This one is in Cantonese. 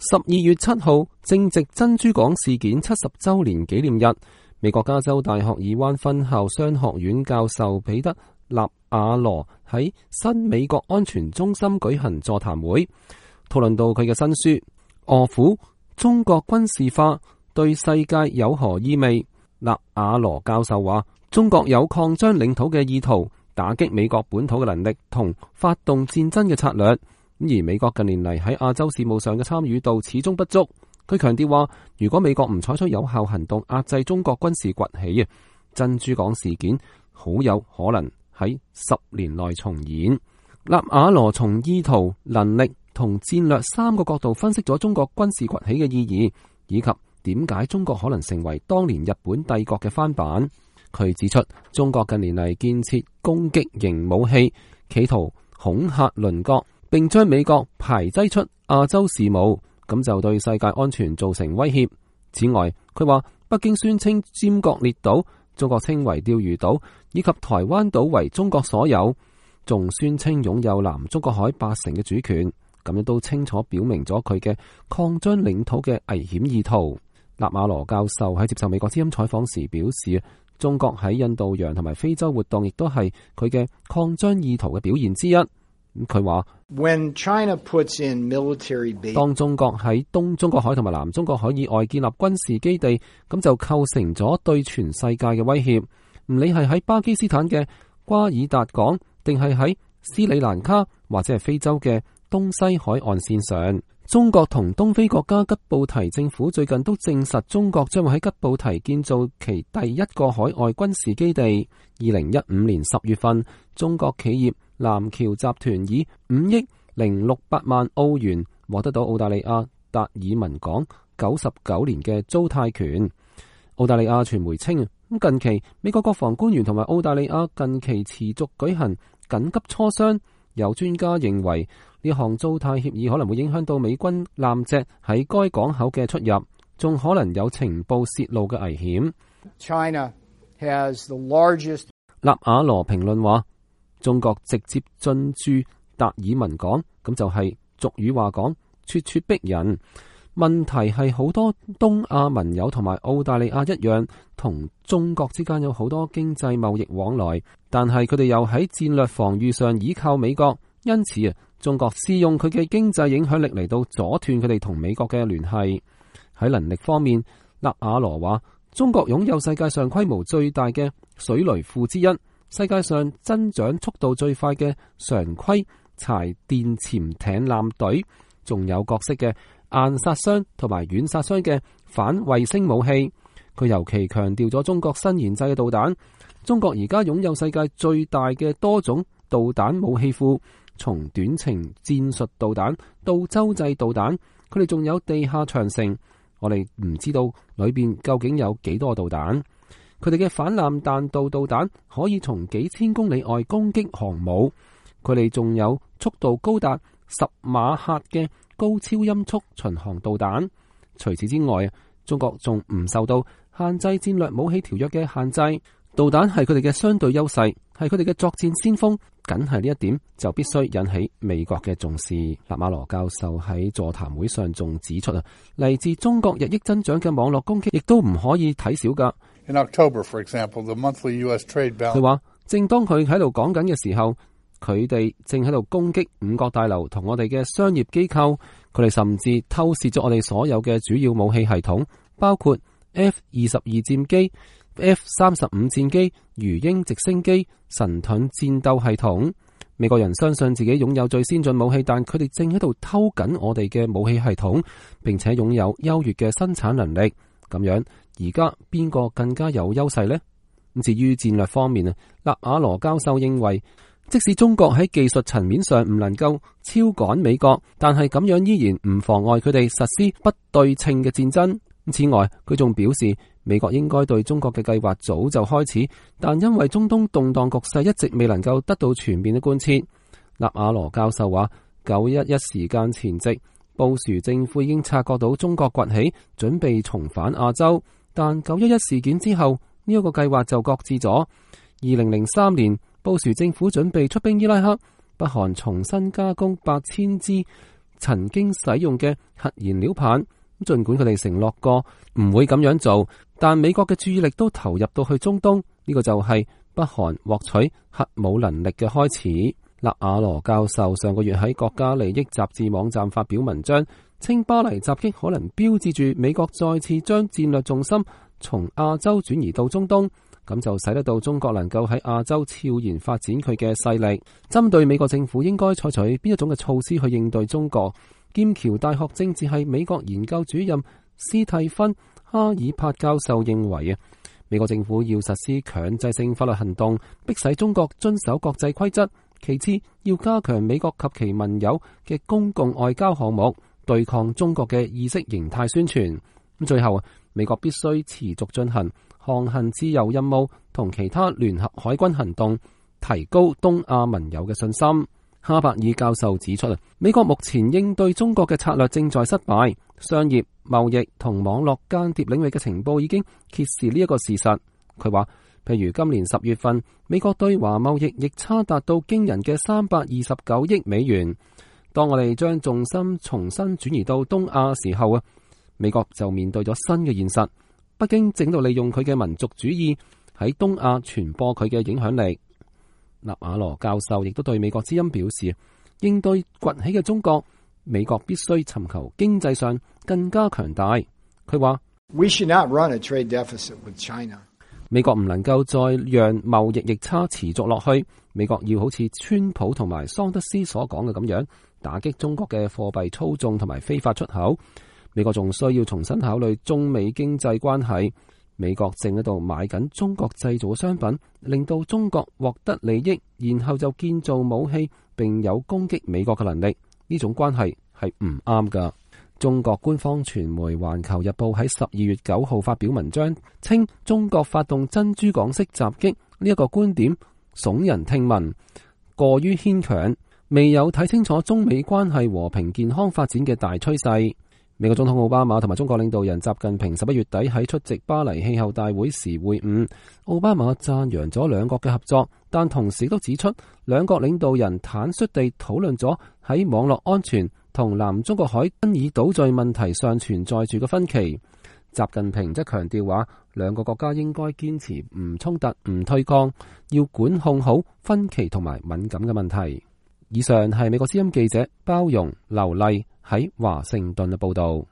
12月7號正值珍珠港事件70週年紀念日，美國加州大學爾灣分校商學院教授彼得納瓦羅喺新美國安全中心舉行座談會，討論到佢嘅新書《俄府：中國軍事化對世界有何意味》。納瓦羅教授話，中國有擴張領土嘅意圖，打擊美國本土嘅能力同發動戰爭嘅策略。而美國近年嚟喺亞洲事務上嘅參與度始終不足。佢強調話，如果美國唔採取有效行動壓制中國軍事崛起，珍珠港事件好有可能喺10年內重演。納瓦羅從意圖、能力同戰略3個角度分析咗中國軍事崛起嘅意義，以及點解中國可能成為當年日本帝國嘅翻版。佢指出，中國近年嚟建設攻擊型武器，企圖恐嚇鄰國，並將美國排擠出亞洲事務，咁就對世界安全造成威脅。此外，佢話北京宣稱尖閣列島、中國稱為釣魚島以及台灣島為中國所有，仲宣稱擁有南中國海80%嘅主權，咁樣都清楚表明咗佢嘅擴張領土嘅危險意圖。納瓦羅教授喺接受美國之音採訪時表示，中國喺印度洋同埋非洲活動亦都係佢嘅擴張意圖嘅表現之一。佢話，當中國喺東中國海同埋南中國海以外建立軍事基地，咁就構成咗對全世界嘅威脅。唔理係喺巴基斯坦嘅瓜爾達港，定係喺斯里蘭卡或者係非洲嘅東西海岸線上，中國同東非國家吉布提政府最近都證實，中國將會喺吉布提建造其第一個海外軍事基地。2015年10月份，中國企業南橋集團以5億068萬澳元獲得到澳大利亞達爾文港99年嘅租貸權。澳大利亞傳媒稱，近期美國國防官員同埋澳大利亞近期持續舉行緊急磋商。有專家認為，呢項租貸協議可能會影響到美軍艦隻喺該港口嘅出入，仲可能有情報泄露嘅危險。納瓦羅評論話，中國直接進駐達爾文港，咁就係俗語話講，咄咄逼人。問題係好多東亞盟友同埋澳大利亞一樣，同中國之間有好多經濟貿易往來，但係佢哋又喺戰略防禦上依靠美國，因此中國試用佢嘅經濟影響力嚟到阻斷佢哋同美國嘅聯繫。喺能力方面，納瓦羅話，中國擁有世界上規模最大嘅水雷庫之一，世界上增長速度最快嘅常規柴電潛艇艦隊，仲有各式嘅硬殺傷同埋軟殺傷嘅反衛星武器。佢尤其強調咗中國新研製嘅導彈。中國而家擁有世界最大嘅多種導彈武器庫，從短程戰術導彈到洲際導彈，佢哋仲有地下長城。我哋唔知道裏邊究竟有幾多導彈。佢哋嘅反艦彈道導彈可以從幾千公里外攻擊航母。佢哋仲有速度高達10馬赫嘅高超音速巡航導彈。除此之外，中國仲唔受到限制戰略武器條約嘅限制。導彈係佢哋嘅相對優勢，係佢哋嘅作戰先鋒，僅係呢一點就必須引起美國嘅重視。納瓦羅教授喺座談會上仲指出，嚟自中國日益增長嘅網絡攻擊亦都唔可以睇小噶。佢話，正當佢喺度講緊嘅時候，佢哋正喺度攻擊五角大樓同我哋嘅商業機構，佢哋甚至偷竊咗我哋所有嘅主要武器系統，包括 F-22 戰機、F-35 戰機、魚鷹直升機、神盾戰鬥系統。美國人相信自己擁有最先進武器，但佢哋正喺度偷緊我哋嘅武器系統，並且擁有優越嘅生產能力。咁樣，而家邊個更加有優勢呢？至於戰略方面，納瓦羅教授認為，即使中國喺技術層面上唔能夠超趕美國，但係咁樣依然唔妨礙佢哋實施不對稱嘅戰爭。此外，佢仲表示，美國應該對中國嘅計劃早就開始，但因為中東動盪局勢一直未能夠得到全面嘅貫徹。納瓦羅教授話，911事件前夕，布殊政府已經察覺到中國崛起，準備重返亞洲，但911事件之後，呢一個計劃就擱置咗。2003年，布殊政府準備出兵伊拉克，北韓重新加工8000支曾經使用嘅核燃料棒。儘管佢哋承諾過唔會咁樣做，但美國嘅注意力都投入到去中東，呢個就係北韓獲取核武能力嘅開始。納瓦羅教授上個月喺國家利益雜誌網站發表文章，稱巴黎襲擊可能標誌住美國再次將戰略重心從亞洲轉移到中東，咁就使得到中國能夠喺亞洲悄然發展佢嘅勢力。針對美國政府應該採取邊一種嘅措施去應對中國，劍橋大學政治系美國研究主任斯蒂芬·哈爾帕教授認為美國政府要實施強制性法律行動，迫使中國遵守國際規則。其次，要加強美國及其盟友嘅公共外交項目，對抗中國嘅意識形態宣傳。最後，美國必須持續進行航行自由任務同其他聯合海軍行動，提高東亞盟友嘅信心。哈伯爾教授指出，美國目前應對中國嘅策略正在失敗，商業、貿易同網絡間諜領域嘅情報已經揭示呢一個事實。佢話，譬如今年10月份，美國對華貿易逆差達到驚人嘅329億美元。當我哋將重心重新轉移到東亞時候美國就面對咗新嘅現實。北京正喺度利用佢嘅民族主義喺東亞傳播佢嘅影響力。納瓦羅教授亦都對美國之音表示，應對崛起嘅中國，美國必須尋求經濟上更加強大。佢話：We should not run a trade deficit with China. 美國唔能夠再讓貿易逆差持續落去。美國要好似川普同埋桑德斯所講嘅咁樣，打擊中國嘅貨幣操縱同埋非法出口。美國仲需要重新考慮中美經濟關係。美國正喺度買緊中國製造嘅商品，令到中國獲得利益，然後就建造武器，並有攻擊美國嘅能力。呢種關係係唔啱㗎。中國官方傳媒《環球日報》喺12月9號發表文章，稱中國發動珍珠港式襲擊呢一個觀點聳人聽聞，過於牽強，未有睇清楚中美關係和平健康發展嘅大趨勢。美國總統奧巴馬同埋中國領導人習近平11月底喺出席巴黎氣候大會時會晤，奧巴馬讚揚咗兩國嘅合作，但同時都指出兩國領導人坦率地討論咗喺網絡安全同南中國海爭議島嶼問題上存在住嘅分歧。習近平則強調話，兩個國家應該堅持唔衝突、唔對抗，要管控好分歧同埋敏感嘅問題。以上係美國之音記者包容劉麗喺華盛頓嘅報道。